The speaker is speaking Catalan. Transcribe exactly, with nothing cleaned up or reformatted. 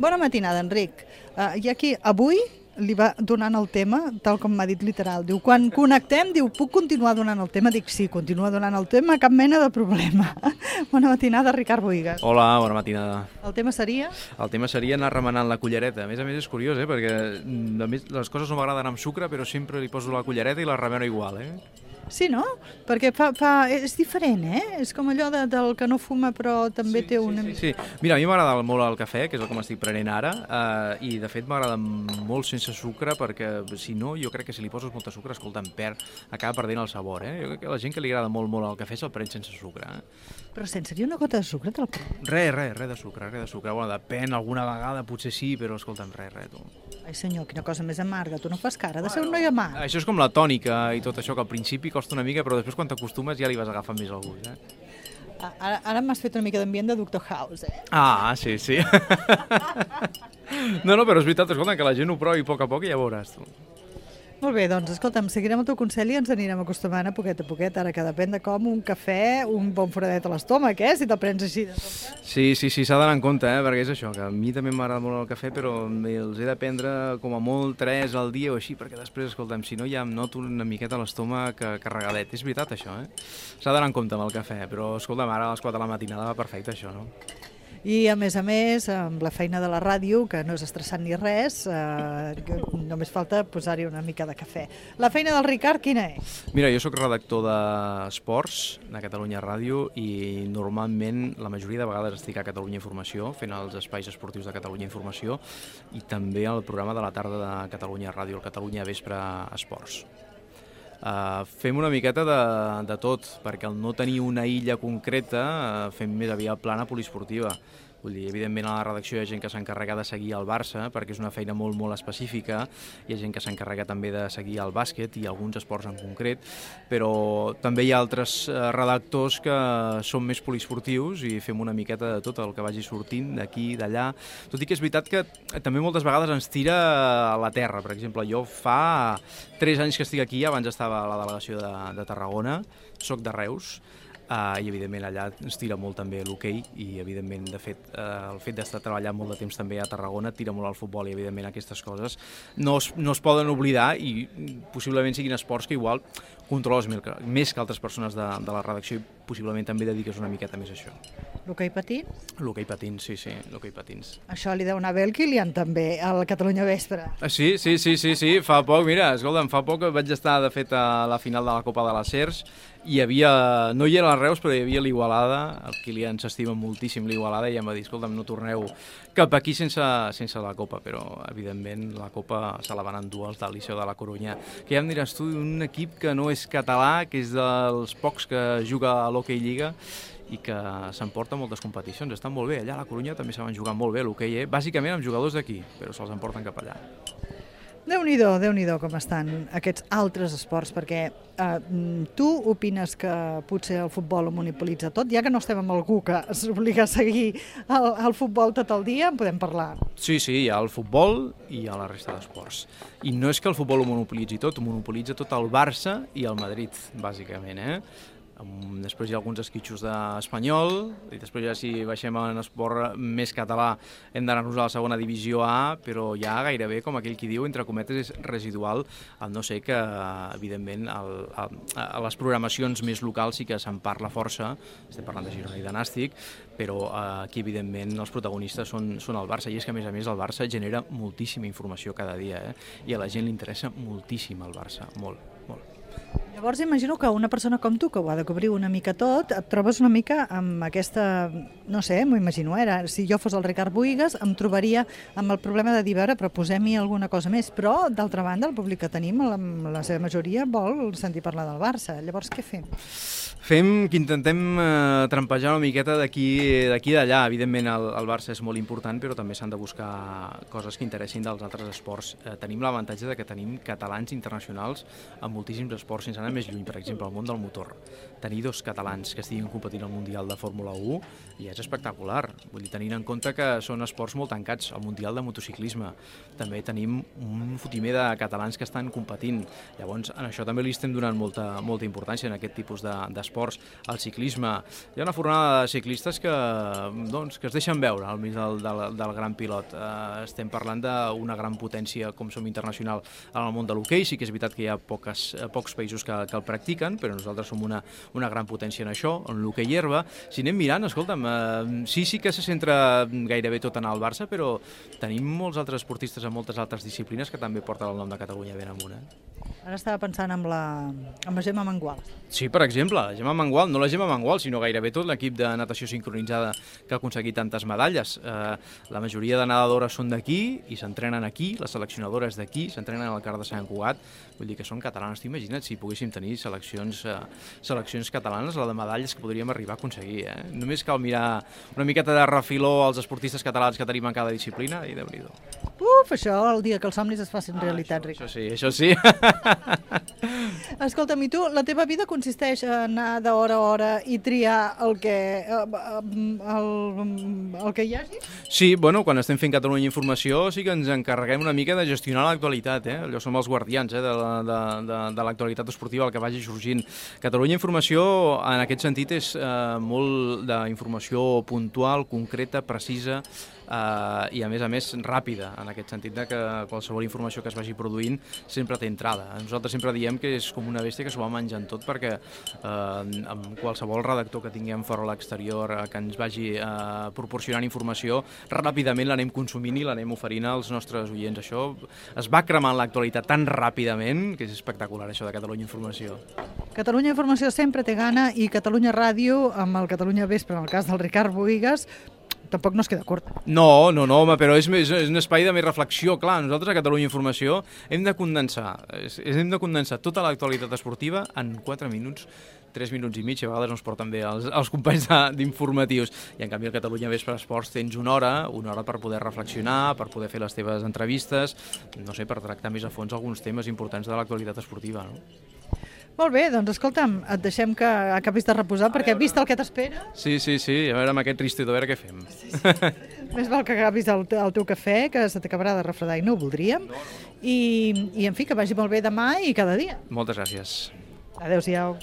Bona matinada, Enric. Uh, I aquí, avui li va donant el tema, tal com m'ha dit literal. Diu, quan connectem, diu, puc continuar donant el tema? Dic, sí, continua donant el tema, cap mena de problema. Bona matinada, Ricard Bohigas. Hola, bona matinada. El tema seria? El tema seria anar remenant la cullereta. A més a més és curiós, eh? Perquè a més, les coses no m'agraden amb sucre, però sempre li poso la cullereta i la remeno igual, eh? Sí, no? Perquè fa, fa, és diferent, eh? És com allò de, del que no fuma però també sí, té una... Sí, sí, sí. Mira, a mi m'agrada molt el cafè, que és el que m'estic prenent ara, eh, i de fet m'agrada molt sense sucre, perquè si no, jo crec que si li poses molta sucre, escolta, em perd, acaba perdent el sabor, eh? Jo crec que la gent que li agrada molt molt el cafè se'l pren sense sucre, eh? Però sense dir una gota de sucre te'l pren? Res, res, res de sucre, res de sucre. Bueno, depèn, alguna vegada potser sí, però escolta'm, res, res, tu. Ai senyor, quina cosa més amarga, tu no fas cara de ser un noi amarg. Això és com la tònica i tot això, que al principi costa una mica, però després quan t'acostumes ja li vas agafant més el gust, eh? Ara, ara m'has fet una mica d'ambient de Doctor House, eh? Ah, sí, sí. No, no, però és veritat, escolta, que la gent ho provi a poc a poc i ja veuràs, tu. Molt bé, doncs, escolta'm, seguirem el teu consell i ens anirem acostumant a poquet a poquet, ara que depèn de com un cafè, un bon foradet a l'estómac, eh? Si te'l prens així de sobte. Sí, sí, sí, s'ha d'anar en compte, eh? Perquè és això, que a mi també m'agrada molt el cafè, però els he de prendre com a molt tres al dia o així, perquè després, escolta'm, si no ja em noto una miqueta l'estómac carregadet. És veritat, això, eh? S'ha d'anar en compte amb el cafè, però, escolta'm, ara a les quatre de la matinada va perfecte, això, no? I, a més a més, amb la feina de la ràdio, que no és estressant ni res, eh, només falta posar-hi una mica de cafè. La feina del Ricard, quina és? Mira, jo sóc redactor d'esports de Catalunya Ràdio i normalment la majoria de vegades estic a Catalunya Informació, fent els espais esportius de Catalunya Informació i també el programa de la tarda de Catalunya Ràdio, el Catalunya Vespre Esports. Uh, fem una miqueta de, de tot, perquè al no tenir una illa concreta uh, fem més aviat plana poliesportiva. Vull dir, evidentment a la redacció hi ha gent que s'encarrega de seguir el Barça, perquè és una feina molt, molt específica, hi ha gent que s'encarrega també de seguir el bàsquet i alguns esports en concret, però també hi ha altres redactors que són més poliesportius i fem una miqueta de tot el que vagi sortint d'aquí, d'allà, tot i que és veritat que també moltes vegades ens tira a la terra. Per exemple, jo fa tres anys que estic aquí, abans estava a la delegació de, de Tarragona, soc de Reus, Uh, i evidentment allà ens tira molt també l'hoquei i evidentment de fet uh, el fet d'estar treballant molt de temps també a Tarragona tira molt al futbol i evidentment aquestes coses no es, no es poden oblidar i possiblement siguin esports que igual controles més que altres persones de, de la redacció i possiblement també dediques una miqueta més a això. L'hoquei patins? L'hoquei patins, sí, sí, l'hoquei patins. Això li deu anar bé el Kilian també, al Catalunya Vespre. Ah, sí, sí, sí, sí, sí, fa poc, mira, escolta'm, fa poc vaig estar de fet a la final de la Copa de les Cers i hi havia, no hi era la Reus, però hi havia l'Igualada, el Kilian s'estima moltíssim l'Igualada i em va dir, escolta'm, no torneu cap aquí sense, sense la Copa, però evidentment la Copa se la van endur els del Liceu de la Corunya, que ja em diràs tu, un equip que no és català, que és dels pocs que juga a l'Hockey Lliga i que s'emporta moltes competicions, estan molt bé, allà a la Corunya també se van jugar molt bé l'hoquei, eh? Bàsicament amb jugadors d'aquí, però se'ls emporten cap allà. Déu-n'hi-do, Déu-n'hi-do com estan aquests altres esports, perquè eh, tu opines que potser el futbol ho monopolitza tot, ja que no estem amb algú que s'obliga a seguir el, el futbol tot el dia, en podem parlar. Sí, sí, hi ha el futbol i hi ha la resta d'esports. I no és que el futbol ho monopolitzi tot, ho monopolitza tot el Barça i el Madrid, bàsicament, eh? Després hi ha alguns esquitxos d'Espanyol i després ja si baixem en esport més català hem d'anar-nos a la segona divisió A, però ja gairebé, com aquell qui diu, entre cometes és residual, al no ser que evidentment el, el, a les programacions més locals sí que se'n parla força, estem parlant de Girona i de Nàstic, però aquí evidentment els protagonistes són, són el Barça, i és que a més a més el Barça genera moltíssima informació cada dia, eh? I a la gent li interessa moltíssim el Barça, molt, molt. Llavors imagino que una persona com tu, que ho ha de cobrir una mica tot, et trobes una mica amb aquesta, no sé, m'ho imagino, era, si jo fos el Ricard Bohigas em trobaria amb el problema de dir, veure, però posem-hi alguna cosa més, però d'altra banda el públic que tenim, la, la seva majoria vol sentir parlar del Barça, llavors què fem? Fem que intentem eh, trampejar una miqueta d'aquí d'aquí d'allà. Evidentment el, el Barça és molt important, però també s'han de buscar coses que interessin dels altres esports. Eh, tenim l'avantatge de que tenim catalans internacionals en moltíssims esports, sense anar més lluny, per exemple, el món del motor. Tenir dos catalans que estiguin competint al Mundial de Fórmula u ja és espectacular. Vull dir, tenint en compte que són esports molt tancats, el Mundial de motociclisme. També tenim un fotimer de catalans que estan competint. Llavors, en això també li estem donant molta, molta importància en aquest tipus d'esports. esports, el ciclisme. Hi ha una fornada de ciclistes que, doncs, que es deixen veure al mig del, del, del gran pilot. Eh, estem parlant d'una gran potència com som internacional en el món de l'hoquei. Sí que és veritat que hi ha poques, pocs països que, que el practiquen, però nosaltres som una, una gran potència en això, en l'hoquei herba. Si anem mirant, escolta'm, eh, sí, sí que se centra gairebé tot en el Barça, però tenim molts altres esportistes en moltes altres disciplines que també porten el nom de Catalunya ben amunt. Eh? Ara estava pensant en la, en la Gemma Mengual. Sí, per exemple, la Gemma Mengual, no la Gemma Mengual, sinó gairebé tot l'equip de natació sincronitzada que ha aconseguit tantes medalles. Eh, la majoria de nedadores són d'aquí i s'entrenen aquí, les seleccionadores d'aquí, s'entrenen al CAR de Sant Cugat, vull dir que són catalanes. T'imagina't si poguéssim tenir seleccions, eh, seleccions catalanes, la de medalles que podríem arribar a aconseguir. Eh? Només cal mirar una miqueta de refiló als esportistes catalans que tenim en cada disciplina i déu-n'hi-do. Uf, això, el dia que els somnis es facin realitat, Ric. Això sí, això sí. Escolta'm, i tu, la teva vida consisteix a anar d'hora a hora i triar el que, el, el que hi hagi? Sí, bueno, quan estem fent Catalunya Informació sí que ens encarreguem una mica de gestionar l'actualitat, eh? Allò som els guardians eh? de, la, de, de, de l'actualitat esportiva, el que vagi sorgint. Catalunya Informació, en aquest sentit, és eh, molt d'informació puntual, concreta, precisa, Uh, i a més a més ràpida, en aquest sentit de que qualsevol informació que es vagi produint sempre té entrada. Nosaltres sempre diem que és com una bèstia que s'ho va menjant tot, perquè uh, amb qualsevol redactor que tinguem fora a l'exterior uh, que ens vagi uh, proporcionant informació, ràpidament l'anem consumint i l'anem oferint als nostres oients. Això es va cremant l'actualitat tan ràpidament que és espectacular, això de Catalunya Informació. Catalunya Informació sempre té gana i Catalunya Ràdio, amb el Catalunya Vespre, en el cas del Ricard Bohigas, tampoc no es queda curta. No, no, no, home, però és, és, és un espai de més reflexió. Clar, nosaltres a Catalunya Informació hem de condensar, hem de condensar tota l'actualitat esportiva en quatre minuts, tres minuts i mig, a vegades no es porten bé els, els companys d'informatius. I en canvi al Catalunya Vespre Esports tens una hora, una hora per poder reflexionar, per poder fer les teves entrevistes, no sé, per tractar més a fons alguns temes importants de l'actualitat esportiva, no? Molt bé, doncs escolta'm, et deixem que acabis de reposar, perquè vist el que t'espera... Sí, sí, sí, a veure amb aquest tristito, a veure què fem. Sí, sí. Més val que acabis el, el teu cafè, que se t'acabarà de refredar i no ho voldríem. No, no. I, I, en fi, que vagi molt bé demà i cada dia. Moltes gràcies. Adéu-siau.